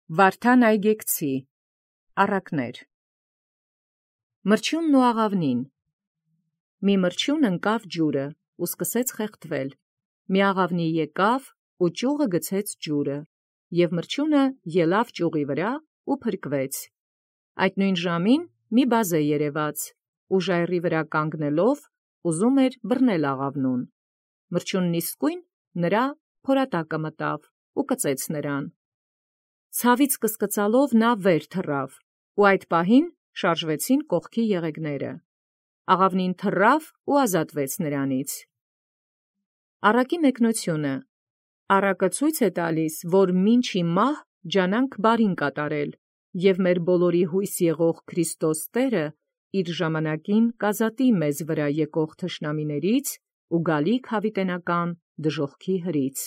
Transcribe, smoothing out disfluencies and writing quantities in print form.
Վարդան այգեկցի առակներ։ Մրջյունն ու աղավնին։ Մի մրջյուն ընկավ ջուրը ու սկսեց խեղդվել. մի աղավնի եկավ ու ճյուղը գցեց ջուրը, և մրջյունը ելավ ճյուղի վրա ու փրկվեց։ Այդ նույն ժամին մի բազե երևաց, ու ժայռի վրա կանգնելով ուզում էր բռնել աղավնուն։ Մրջյունն իսկույն նրա փորատակը մտավ ու կծեց նրան։ Ցավից կսկծալով նա վեր թռավ, ու այդ պահին շարժվեցին կողքի եղեգները։ Աղավնին թռավ ու ազատվեց նրանից։ Առակի մեկնությունը։ Առակը ցույց է տալիս, որ մինչի մահ ջանանք բարին կատարել, և մեր բոլորի հույս եղող Քրիստոս Տերը իր ժամանակին կազատի մեզ վրա եկող թշնամիներից ու գալիք յաւիտենական դժոխքի հրից։